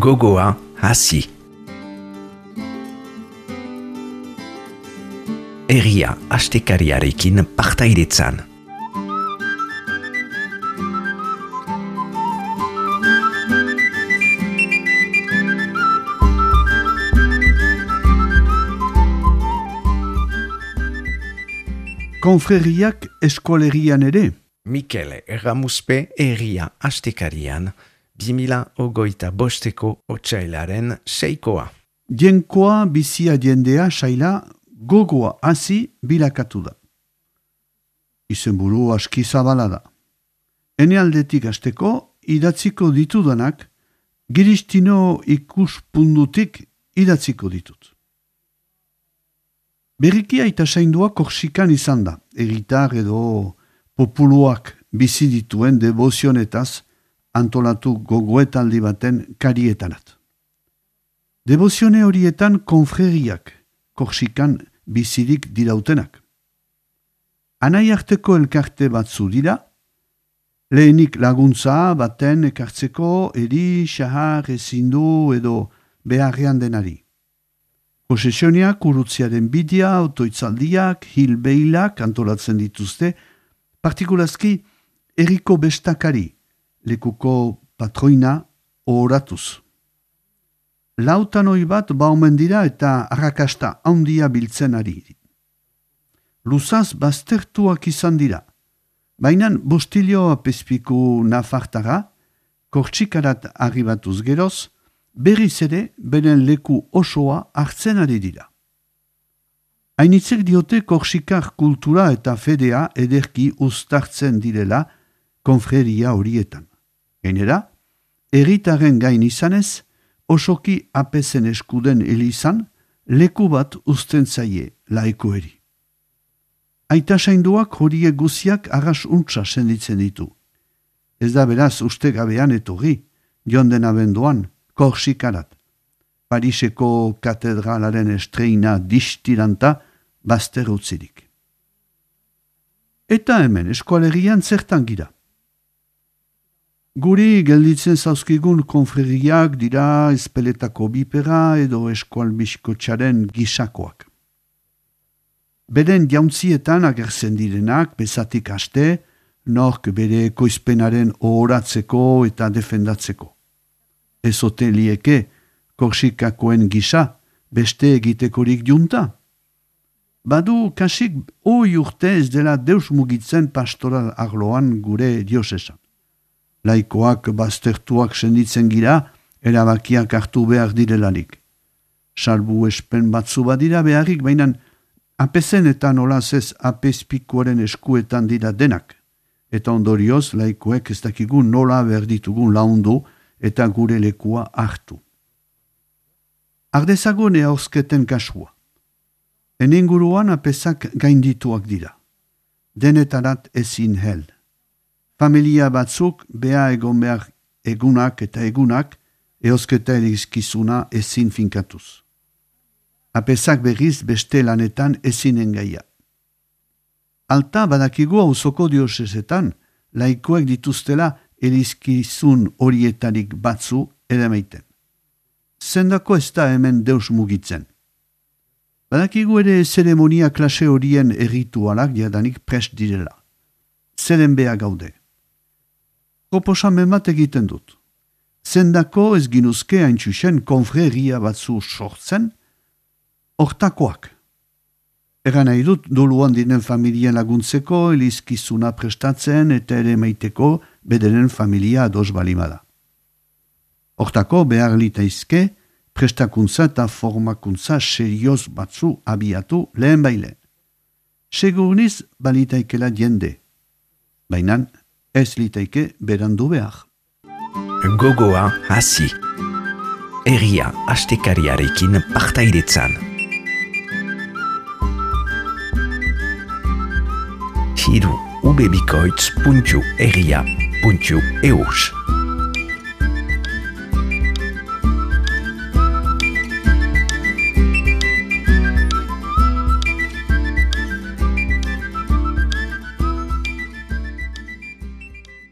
Gogoa hasi. Herria astekariarekin partaidetzan. Konfreriak eskolerian ere. Mikele Erramuzpe herria astekarian 2025ko otsailaren 6koa. Jenkoa bizia jendea saila gogoa hasi bilakatu da. Izenburu aski zabala da. Ene aldetik hasteko idatziko ditudanak giristino ikuspundutik idatziko ditut. Berriki aita zaindua Korsikan izan da, egitar edo populuak bizi dituen debozionetaz antolatu gogoetaldi baten karietarat. Devozione horietan konfreriak Korsikan bizirik dirautenak. Anai arteko elkarte batzu dira, lehenik laguntza baten ekartzeko eri, xahar, ezindu edo beharrean denari. Posesioniak, urutziaren bidia, autoitzaldiak, hilbeilak antolatzen dituzte, partikulazki erriko bestakari, lekuko patroina ohoratuz. Lautanoi bat baumen dira eta arrakasta handia biltzen ari. Luzaz baztertuak izan dira, baina Bustilio apezpiku nafartara, Kortsikarat arribatuz geroz, berriz ere beren leku osoa hartzen ari dira. Hainitzek diote Korsikar kultura eta fedea ederki uztartzen direla konfreria horietan. Gainera, herritaren gain izanez, osoki apezen eskuden elizan, leku bat uzten zaie laikoeri. Aita sainduak horiek guziak arras untsa senditzen ditu. Ez da beraz ustegabean etorri, jonden abenduan, Korsikarat, Pariseko katedralaren estreina distiranta bazter utzirik. Eta hemen eskualerian zertan gira. Guri gelditzen zauzkigun konfreriak dira espeletako bipera edo eskualbiskotxaren gisakoak. Beren jauntzietan agertzen direnak bezatik haste, nork bere ekoizpenaren ohoratzeko eta defendatzeko. Ezote lieke Korsikakoen gisa beste egitekorik junta. Badu kasik hoi urte ez dela deus mugitzen pastoral arloan gure diosesan. Laikoak baztertuak senditzen gira, erabakiak hartu behar direlarik. Salbu espen batzu badira beharrik, baina apezen eta nolaz ez apezpikoaren eskuetan dira denak. Eta ondorioz laikoek ez dakigun nola behar ditugun laundu eta gure lekua hartu. Ardezagon eauzketen kasua. Enenguruan apezak gaindituak dira. Denetarat ezin hel. Familia batzuk beha egon behar egunak eta egunak eozketa erizkizuna ezin finkatuz. Apezak berriz beste lanetan ezin engaia. Alta badakigu auzoko diosesetan laikoek dituztela erizkizun horietarik batzu edameiten. Zendako ez da hemen deus mugitzen. Badakigu ere zeremonia klase horien erritualak jadanik prest direla. Zeren beha gaude. Proposamen bat egiten dut. Zendako ez ginuzke haintxusen konfreria batzu sortzen, hortakoak. Egan nahi dut doluan diren familien laguntzeko, elizkizuna prestatzen eta ere maiteko bederen familia ados balimada. Hortako behar litaizke, prestakuntza eta formakuntza serioz batzu abiatu lehen bailen. Segurniz balitaikela jende, baina ez litaike berandu behar. Gogoa hasi. Herria astekariarekin partaidetzan. Hiru ubebikoitz.herria.eus